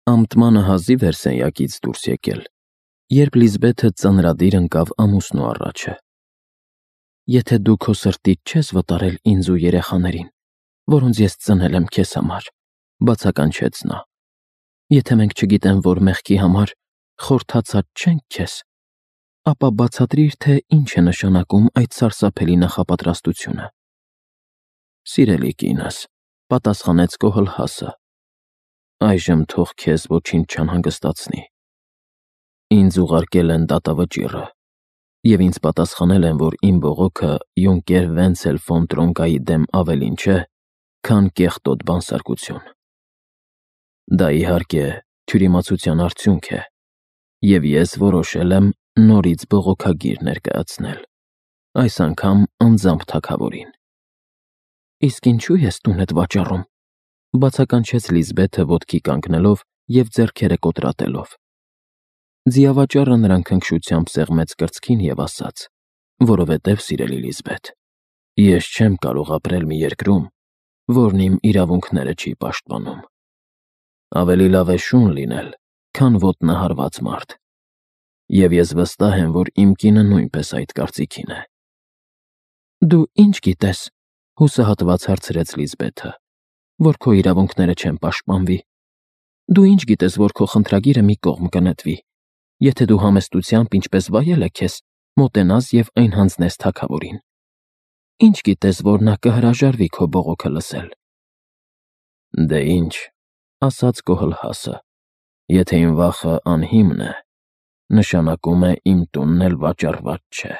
Ամտմանը հազիվ էր սենյակից դուրս եկել, երբ Լիզբեթը ծանրադիր ընկավ ամուսնու առաջը։ «Եթե դու քո սրտիդ չես վտարել ինձ ու երեխաներին, որոնց ես ծնել եմ քեզ համար», բացականչեց նա, «եթե մենք չգիտեմ, որ մեղքի համար խորթացած չենք քեզ, ապա բացատրիր, թե ինչ է նշանակում այդ սարսափելի նախապատրաստությունը»։ «Սիրելի կինս», պատասխանեց Կոհլհասը, «այժմ թող քեզ ոչինչ չանհանգստացնի։ Ինձ ուղարկել են դատավճիռը, և ինձ պատասխանել են, որ իմ բողոքը յունկեր Վենցել ֆոն Տրոնկայի դեմ ավելին չէ, քան կեղտոտ բանսարկություն։ Դա, իհարկե, թյուրիմացության արդյունք է, և ես որոշել եմ նորից բողոքագիր ներկայացնել, այս անգամ անձամբ թագավորին»։ «Իսկ ինչու ես տունդ վաճառում», բացականչեց Լիզբեթը ոտքի կանգնելով և ձեռքերը կոտրատելով։ Ձիավաճառը նրան քնքշությամբ սեղմեց կրծքին և ասաց. «Որովհետև, սիրելի Լիզբեթ, ես չեմ կարող ապրել մի երկրում, որն իմ իրավունքները չի պաշտպանում։ Ավելի լավ է շուն լինել, քան ոտնահարված մարդ, և ես վստահ եմ, որ իմ կինը նույնպես այդ կարծիքին է»։ «Դու ինչ գիտես», հուսահատված հարցրեց Լիզբեթը, «որ քո իրավունքները չեն պաշտպանվի։ Դու ինչ գիտես, որ քո խնդրագիրը մի կողմ կնետվի, եթե դու համեստությամբ, ինչպես վայել է քեզ, մոտենաս և այն հանձնես թագավորին։ Ինչ գիտես, որ նա կհրաժարվի քո բողոքը լսել»։ «Դե ինչ», ասաց Կոհլհասը, «եթե իմ վախը անհիմն է, նշանակում է իմ տունն էլ վաճառված չէ։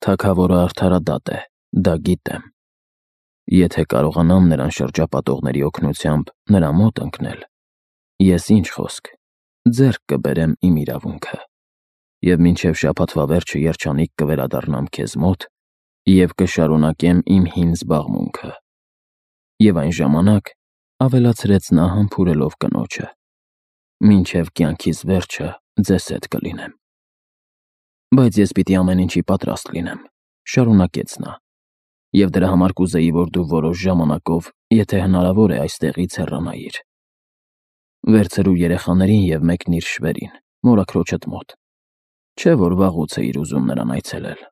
Թագավորը արդարադատ է, դա գիտեմ։ Եթե կարողանամ նրան շրջապատողների օգնությամբ նրա մոտ ընկնել, ես ինչ խոսք, ձեռք կբերեմ իմ իրավունքը, և մինչև շաբաթվա վերջը երջանիկ կվերադառնամ քեզ մոտ և կշարունակեմ իմ հին զբաղմունքը։ Եվ այն ժամանակ, ավելացրեց նա համբուրելով կնոջը, մինչև կյանքիս վերջը ձեզ հետ կլինեմ։ Բայց ես պիտի ամեն ինչի պատրաստ լինեմ, շարունակեց նա, և դրա համար կուզեի, որ դու որոշ ժամանակով, եթե հնարավոր է, այստեղից հեռանայիր։ Վերցրու երեխաներին և մեկնիր շվերին, մորաքրոջդ մոտ, չէ՞ որ վաղուց էիր ուզում նրան այցելել։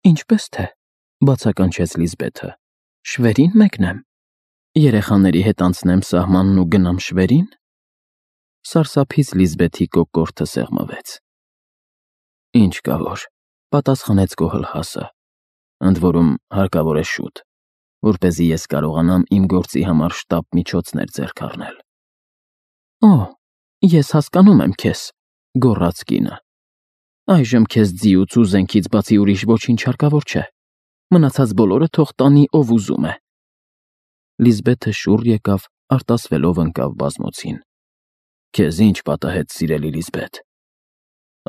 «Ինչպես թե», բացականչեց Լիզբեթը, «շվերին մեկնեմ։ Երեխաների հետ անցնեմ սահմանն ու գնամ շվերին»։ Սարսափից Լիզբեթի կոկորդը սեղմվեց։ «Ինչ կա որ», պատասխանեց Կոհլհասը, «ընդ որում հարկավոր է շուտ, որպեսզի ես կարողանամ իմ գործի համար շտապ միջոցներ ձեռք առնել»։ «Օ, ես հասկանում եմ քեզ», գոռաց կինը, «այժմ քեզ ձիուց ու զենքից բացի ուրիշ ոչինչ հարկավոր չէ։ Մնացած բոլորը թող տանի, ով ուզում է»։ Լիզբեթը շուռ եկավ, արտասվելով ընկավ բազմոցին։ «Քեզ ինչ պատահեց, սիրելի Լիզբեթ։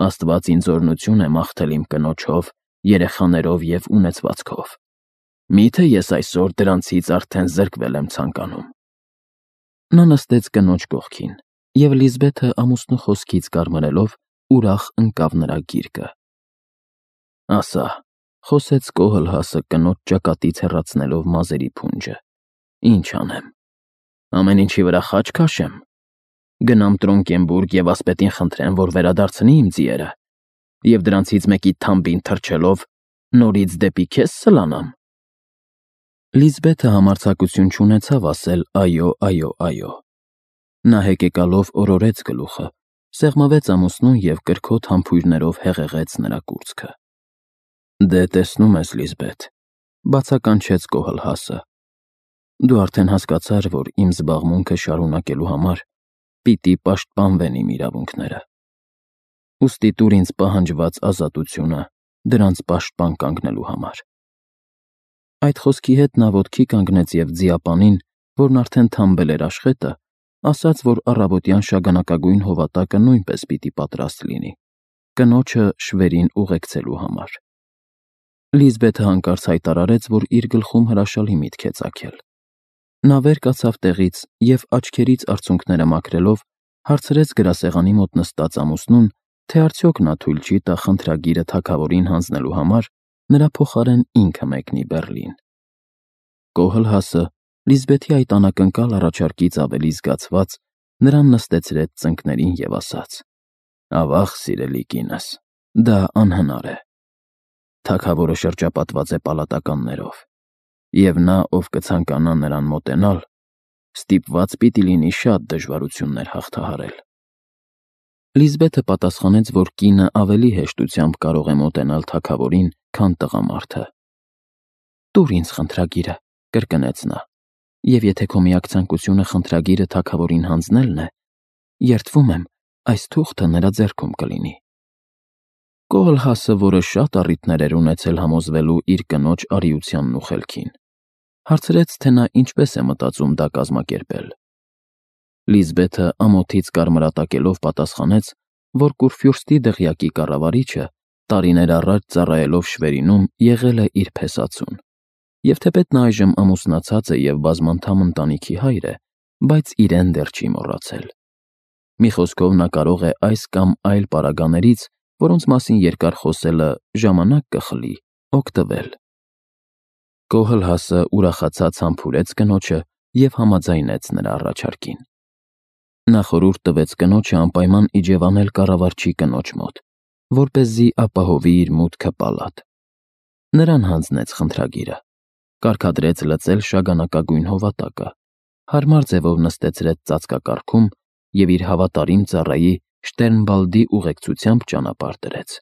Աստված ինձ օրհնություն է մաղթել իմ կնոջով, երեխաներով և ունեցվածքով։ Մի՞թե ես այսօր դրանցից արդեն զրկվել եմ ցանկանում»։ Նա նստեց կնոջ կողքին, և Լիզբեթը ամուսնու խոսքից կարմրելով ուրախ ընկավ նրա գիրկը։ «Ասա», խոսեց Կոհլհասը կնոջ ճակատից հեռացնելով մազերի փունջը, «ինչ անեմ։ Ամեն ինչի վրա խաչ քաշե՞մ։ Գնամ Տրոնկենբուրգ և ասպետին խնդրեմ, որ վերադարձնի իմ ձիերը, և դրանցից մեկի թամբին թռչելով նորից դեպի քեզ սլանամ»։ Լիզբեթը համարձակություն չունեցավ ասել այո, այո, այո։ Նա հեկեկալով օրորեց գլուխը, սեղմվեց ամուսնուն և կրքոտ համբույրներով հեղեղեց նրա կուրծքը։ «Դե, տեսնում ես, Լիզբեթ», բացականչեց Կոհլհասը, «դու արդեն հասկացար, որ իմ զբաղմունքը շարունակելու համար պիտի պաշտպանվեն իմ իրավունքները։ Ուստի տուր ինձ պահանջված ազատությունը դրանց պաշտպան կանգնելու համար»։ Այդ խոսքի հետ նա ոտքի կանգնեց և ձիապանին, որն արդեն թամբել էր աշխետը, ասաց, որ առավոտյան շագանակագույն հովատակը նույնպես պիտի պատրաստ լինի, կնոջը շվերին ուղեկցելու համար։ Լիզբեթը հանկարծ հայտարարեց, որ իր գլխում հրաշալի միտք է ծագել։ Նա վեր կացավ տեղից և, աչքերից արցունքները մաքրելով, հարցրեց գրասեղանի մոտ նստած ամուսնուն, թե արդյոք նա թույլ չի տա խնդրագիրը թագավորին հանձնելու համար նրա փոխարեն ինքը մեկնի Բեռլին։ Կոհլհասը, Լիզբեթի այդ անակնկալ առաջարկից ավելի զգացված, նրան նստեցրեց ծնկներին և ասաց. «Ավաղ, սիրելի կինս, դա անհնար է։ Թագավորը շրջապատված է պալատականներով, և նա, ով կցանկանա նրան մոտենալ, ստիպված պիտի լինի շատ դժվարություններ հաղթահարել»։ Լիզբեթը պատասխանեց, որ կինը ավելի հեշտությամբ կարող է մոտենալ թագավորին, քան տղամարդը։ «Տուր ինձ խնդրագիրը», կրկնեց նա, «և եթե քո միակ ցանկությունը խնդրագիրը թագավորին հանձնելն է, երդվում եմ, այս թուղթը նրա ձեռքում կլինի»։ Կոհլհասը, որը շատ առիթներ էր ունեցել համոզվելու իր կնոջ արիությանն ու խելքին, հարցրեց, թե նա ինչպես է մտածում դա կազմակերպել։ Լիզբեթը ամոթից կարմրատակելով պատասխանեց, որ Կուրֆյուրստի դղյակի կառավարիչը տարիներ առաջ ծառայելով Շվերինում եղել է իր փեսացուն, և թեպետ նա այժմ ամուսնացած է և բազմանդամ ընտանիքի հայր է, բայց իրեն դեռ չի մոռացել։ Մի խոսքով, նա կարող է այս կամ այլ պարագաներից, որոնց մասին երկար խոսելը ժամանակ կխլի, օգտվել։ Կոհլհասը ուրախացած համբուրեց կնոջը և համաձայնեց նրա առաջարկին։ Նա խորհուրդ տվեց կնոջը անպայման իջևանել կառավարչի կնոջ մոտ, որպեսզի ապահովի իր մուտքը պալատ։ Նրան հանձնեց խնդրագիրը, կարգադրեց լծել շագանակագույն հովատակը, հարմար ձևով նստեցրեց ծածկակառքում և իր հավատարիմ ծառայի Շտերնբալդի ուղեկցությամբ ճանապարհ դրեց։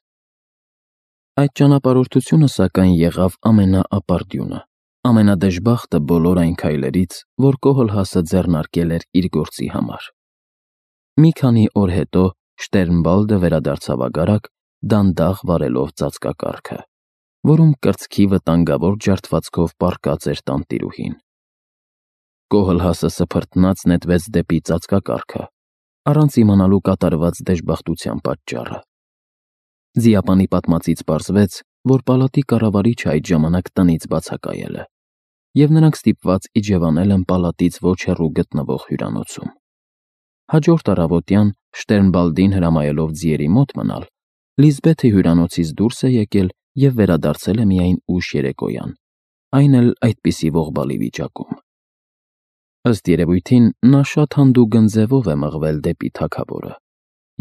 Այդ ճանապարհորդությունը, սակայն, եղավ ամենաապարդյունը, ամենադժբախտը բոլոր այն քայլերից, որ Կոհլհասը ձեռնարկել էր իր գործի համար։ Մի քանի օր հետո Շտերնբալդը վերադարձավ ագարակ, դանդաղ վարելով ծածկակառքը, որում կրծքի վտանգավոր ջարդվածքով պառկած էր տանտիրուհին։ Կոհլհասը սփռտնաց նետվեց դեպի ծածկակառքը, առանց իմանալու կատարված դժբախտության պատճառը։ Ձիապանի պատմածից պարզվեց, որ պալատի կառավարիչը այդ ժամանակ տնից բացակայել է, և նրանք ստիպված իջևանել են պալատից ոչ հեռու գտնվող հյուրանոցում։ Հաջորդ առավոտյան, Շտերնբալդին հրամայելով ձիերի մոտ մնալ, Լիզբեթը հյուրանոցից դուրս է եկել և վերադարձել է միայն ուշ երեկոյան, այն էլ այդպիսի ողբալի վիճակում։ Ըստ երևույթին, նա շատ հանդուգն ձևով է մղվել դեպի թագավորը,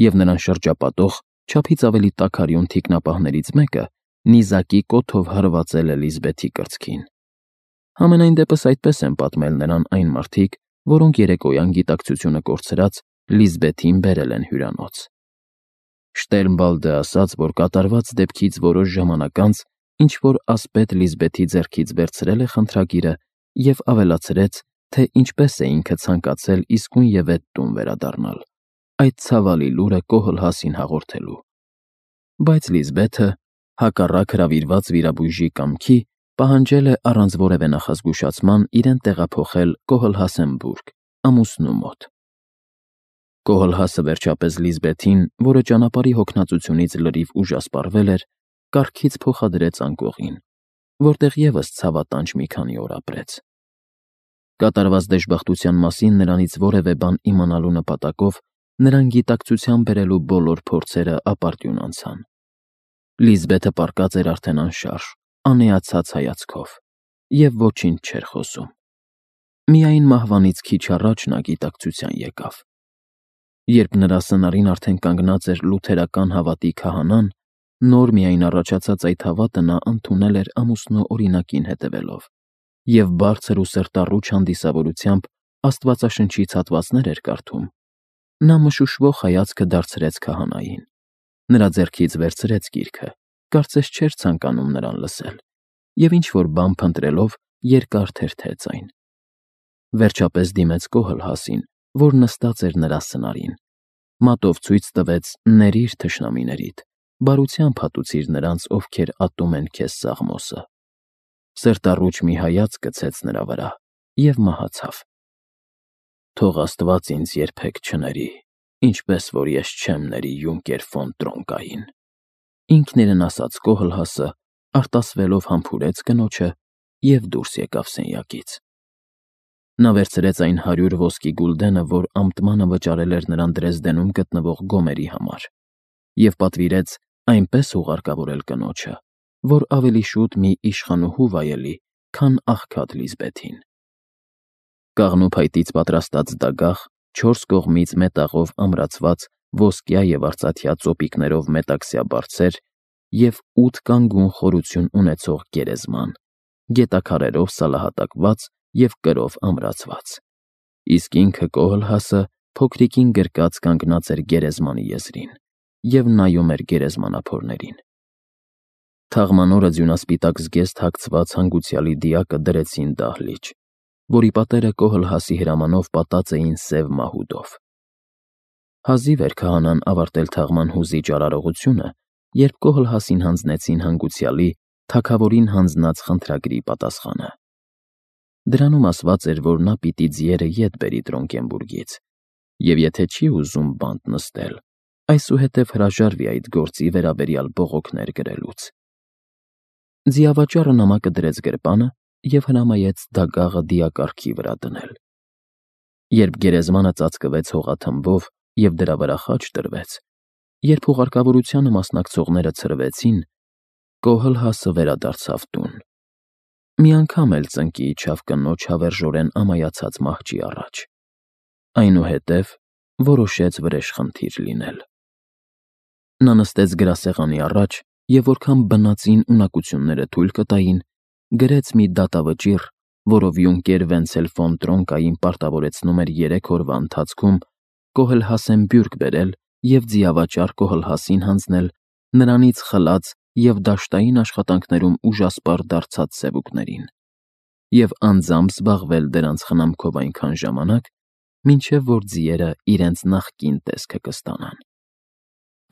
և նրան շրջապատող չափից ավելի տաքարյուն թիկնապահներից մեկը նիզակի կոթով հարվածել է Լիզբեթի կրծքին։ Համենայն դեպս այդպես են պատմել նրան այն մարդիկ, որոնք երեկոյան գիտակցությունը կորցրած Լիզբեթին բերել են հյուրանոց։ Շտերնբալդը ասաց, որ կատարված դեպքից որոշ ժամանակ անց ինչ-որ ասպետ Լիզբեթի ձեռքից վերցրել է խնդրագիրը և ավելացրեց, թե ինչպես է ինքը ցանկացել իսկույնևեթ տուն վերադառնալ, այդ ցավալի լուրը Կոհլհասին հաղորդելու։ Բայց Լիզբեթը, հակառակ հրավիրված վիրաբույժի կամքի, պահանջել է առանց որևէ նախազգուշացման իրեն տեղափոխել Կոհլհասենբուրգ, ամուսնու մոտ։ Կոհլհասը վերջապես Լիզբեթին, որը ճանապարհի հոգնածությունից լրիվ ուժասպառվել էր, կառքից փոխադրեց անկողին, որտեղ ևս ցավատանջ մի քանի օր ապրեց։ Կատարված դժբախտության մասին նրանից որևէ բան իմանալու նպատակով նրան գիտակցության բերելու բոլոր փորձերը ապարդյուն անցան։ Լիզբեթը պառկած էր արդեն անշարժ, անեացած հայացքով, և ոչինչ չէր խոսում։ Միայն մահվանից քիչ առաջ նա գիտակցության եկավ։ Երբ նրա սնարին արդեն կանգնած էր լութերական հավատի քահանան, նոր միայն առաջացած այդ հավատը նա ընդունել էր ամուսնու օրինակին հետևելով, և բարձր ու սրտառուչ հանդիսավորությամբ Աստվածաշնչից հատվածներ էր կարդում, նա մշուշվող հայացքը դարձրեց քահանային, նրա ձեռքից վերցրեց գիրքը, կարծես չէր ցանկանում նրան լսել, և ինչ-որ բան փնտրելով երկար թերթեց այն։ Վերջապես դիմեց Կոհլհասին, որ նստած էր նրա սնարին, մատով ցույց տվեց. «Ների՛ր թշնամիներիդ, բարությամբ հատուցիր նրանց, ովքեր ատում են քեզ սաղմոսը»։ Սրտառուչ մի հայացք գցեց նրա վրա և մահացավ։ «Թող Աստված ինձ երբեք չների, ինչպես որ ես չեմ ների յունկեր ֆոն Տրոնկային», ինքն իրեն ասաց Կոհլհասը, արտասվելով համբուրեց կնոջը և դուրս եկավ սենյակից։ Նա վերցրեց այն 100 ոսկի գուլդենը, որ ամտմանը վճարել էր նրան Դրեզդենում գտնվող գոմերի համար, և պատվիրեց այնպես ուղարկավորել կնոջը, որ ավելի շուտ մի իշխանուհու վայելի, քան աղքատ Լիզբեթին։ Կաղնու փայտից պատրաստած դագաղ, 4 կողմից մետաղով ամրացված ոսկյա և արծաթյա ծոպիկներով մետաքսյա բարձեր և 8 կանգուն խորություն ունեցող գերեզման, գետաքարերով սալահատակված և կրով ամրացված, իսկ ինքը Կոհլհասը փոքրիկին գրկած կանգնած էր գերեզմանի եզրին և նայում էր գերեզմանափորներին։ Թաղման օրը ձյունասպիտակ զգեստ հագցված հանգուցյալի դիակը դրեցին դահլիճ, որի պատերը Կոհլհասի հրամանով պատած էին սև մահուդով։ Հազիվ էր քահանան ավարտել թաղման հուզիչ արարողությունը, երբ Կոհլհասին հանձնեցին հանգուցյալի թագավորին հանձնած խնդրագրի պատասխանը։ Դրանում ասված էր, որ նա պիտի ձիերը ետ բերի Տրոնկենբուրգից, և եթե չի ուզում բանտ նստել, այսուհետև հրաժարվի այդ գործի վերաբերյալ բողոքներ գրելուց։ Ձիավաճառը նամակը դրեց գրպանը և հրամայեց դագաղը դիակառքի վրա դնել։ Երբ գերեզմանը ծածկվեց հողաթմբով և դրա վրա խաչ տրվեց, երբ հուղարկավորությանը մասնակցողները ցրվեցին, Կոհլհասը վերադարձավ տուն։ Մի անգամ էլ ծնկի իջավ կնոջ հավերժորեն ամայացած մահճի առաջ, այնուհետև որոշեց վրեժխնդիր լինել։ Նա նստեց գրասեղանի առաջ և որքան բնածին ունակությունները թույլ կտային, գրեց մի դատավճիռ, որով յունկեր Վենցել ֆոն Տրոնկային պարտավորեցնում էր 3 օրվա ընթացքում Կոհլհասեն բյուրք բերել և ձիավաճառ Կոհլհասին հանձնել նրանից խլած և դաշտային աշխատանքներում ուժասպառ դարձած սևուկներին և անձամբ զբաղվել դրանց խնամքով այնքան ժամանակ, մինչև որ ձիերը իրենց նախկին տեսքը կստանան։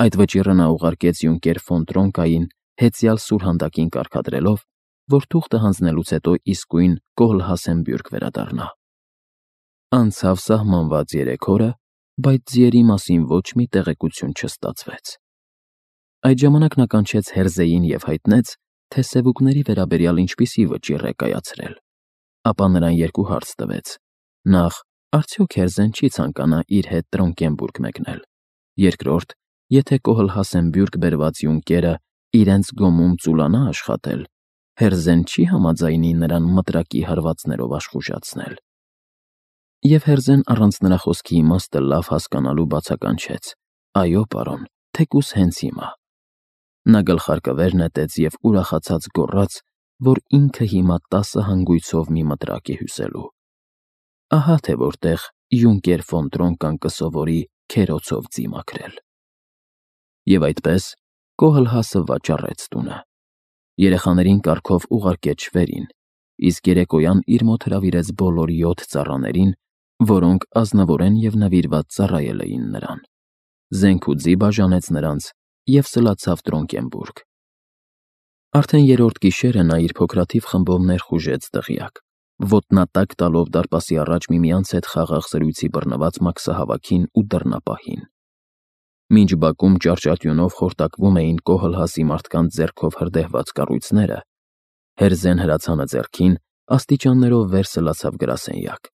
Այդ վճիռը նա ուղարկեց յունկեր ֆոն Տրոնկային հեծյալ սուրհանդակին կարգադրելով, որ թուղթը հանձնելուց հետո իսկույն Կոհլհասեն բյուրք վերադառնա։ Անցավ սահմանված 3 օրը, բայց ձիերի մասին ոչ մի տեղեկություն չստացվեց։ Այդ ժամանակ նա կանչեց Հերզեյին և հայտնեց, թե սևուկների վերաբերյալ ինչպիսի վճիռ է կայացրել, ապա նրան 2 հարց տվեց. նախ, արդյոք Հերզեն չի ցանկանա իր հետ Տրոնկենբուրգ մեկնել, երկրորդ, եթե Կոհլհասեն բյուրք բերված յունկերը իրենց գոմում ծուլանա աշխատել, Հերզեն չի համաձայնի նրան մտրակի հարվածներով աշխուժացնել։ Եվ Հերզեն առանց նրա խոսքի իմաստը լավ հասկանալու բացականչեց. այո, պարոն, թեկուզ հենց հիմա։ Նա գլխարկը նետեց և ուրախացած գոռաց, որ ինքը հիմա 10 հանգույցով մի մտրակ է հյուսելու։ Ահա թե որտեղ յունկեր ֆոն Տրոնկան կսովորի քերոցով ձի մաքրել։ Եվ այդպես Կոհլհասը վաճառեց տունը։ Երեխաներին կարգով ուղարկեց շվերին, իսկ երեկոյան իր մոտ հրավիրեց բոլոր 7 ծառաներին, որոնք ազնվորեն և նվիրված ծառայել էին նրան, զենք ու ձի բաժանեց նրանց և սլացավ Տրոնկենբուրգ։ Արդեն 3-րդ գիշերը նա իր փոքրաթիվ խմբով ներխուժեց դղյակ, ոտնատակ տալով դարպասի առաջ միմյանց հետ խաղաղ զրույցի բռնված մաքսահավաքին ու դռնապահին։ Մինչ բակում ճարճատյունով խորտակվում էին Կոհլհասի մարդկանց ձեռքով հրդեհված կառույցները, Հերզեն հրացանը ձեռքին աստիճաններով վեր սլացավ գրասենյակ,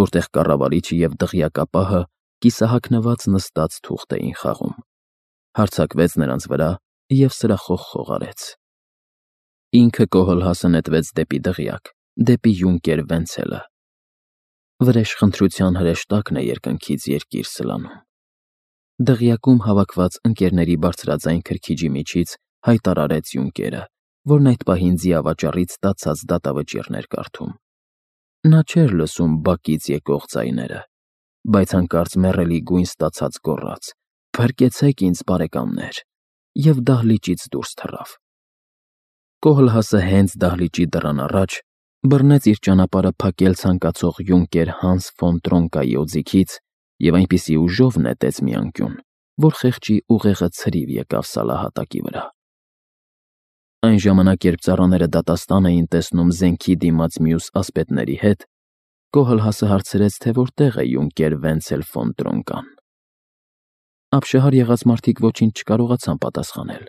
որտեղ կառավարիչը և դղյակապահը կիսահագնված նստած թուղթ էին խաղում, հարձակվեց նրանց վրա և սրախոհ խոհարեց։ Ինքը Կոհլհասը նետվեց դեպի դղյակ, դեպի յունկեր Վենցելը։ Վրեժխնդրության հրեշտակն է երկնքից երկիր սլանում։ Դղյակում հավաքված ընկերների բարձրաձայն քրքիջի միջից հայտարարեց յունկերը, որն այդ պահին ձիավաճառից ստացած դատավճիռն էր կարդում։ Նա չէր լսում բակից եկող ձայները, բայց հանկարծ մեռելի գույն ստացած գոռաց. «Փրկեցեք ինձ, բարեկամներ», և դահլիճից դուրս թռավ։ Կոհլհասը հենց դահլիճի դռան առաջ բռնեց իր ճանապարհը փակել ցանկացող յունկեր Հանս ֆոն Տրոնկայի օձիքից և այնպիսի ուժով նետեց մի անկյուն, որ խեղճի ուղեղը ցրիվ եկավ սալահատակի վրա։ Այն ժամանակ, երբ ծառաները դատաստան էին տեսնում զենքի դիմաց մյուս ասպետների հետ, Կոհլհասը հարցրեց, թե որտեղ է յունկեր Վենցել ֆոն Տրոնկան։ Ապշահար եղած մարդիկ ոչինչ չկարողացան պատասխանել։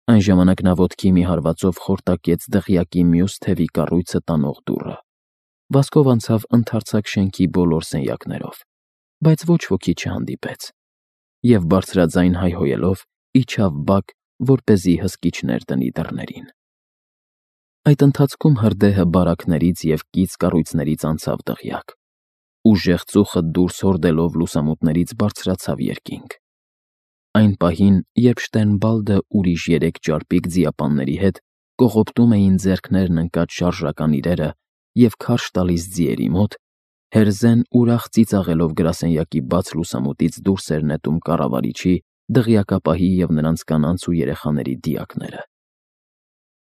Այն ժամանակ նա ոտքի մի հարվածով խորտակեց դղյակի մյուս թևի կառույցը տանող դուռը, վազքով անցավ ընդարձակ շենքի բոլոր սենյակներով, բայց ոչ ոքի չհանդիպեց, և բարձրաձայն հայհոյելով իջավ բակ, որպեսզի հսկիչներ դնի դռներին։ Այդ ընթացքում հրդեհը բարակներից և կից կառույցներից անցավ դղյակ, Ուժեղ ծուխը դուրս հորդելով լուսամուտներից բարձրացավ երկինք։ Այն պահին, երբ Շտերնբալդը ուրիշ 3 ճարպիկ ձիապանների հետ կողոպտում էին ձեռքներն ընկած շարժական իրերը և քարշ տալիս ձիերի մոտ, Հերզեն ուրախ ծիծաղելով գրասենյակի բաց լուսամուտից դուրս էր նետում կառավարիչի, դղյակապահի և նրանց կանանց ու երեխաների դիակները։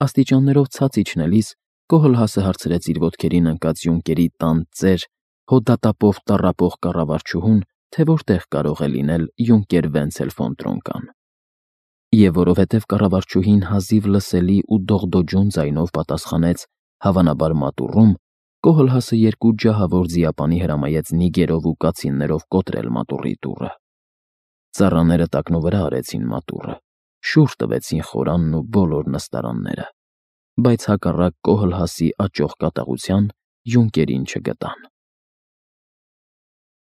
Աստիճաններով ցած իջնելիս Կոհլհասը հարցրեց իր ոտքերին ընկած յունկերի տան ծեր, հոդատապով տառապող կառավարչուհուն, թե որտեղ կարող է լինել յունկեր Վենցել ֆոն Տրոնկան։ Եվ որովհետև կառավարչուհին հազիվ լսելի ու դողդոջուն ձայնով պատասխանեց. հավանաբար մատուռում, Կոհլհասը 2 ջահավոր ձիապանի հրամայեց նիգերով ու կացիններով կոտրել մատուռի դուռը։ Ծառաները տակնուվրա արեցին մատուռը, շուռ տվեցին խորանն ու բոլոր նստարանները, բայց հակառակ Կոհլհասի աճող կատաղության յունկերին չգտան։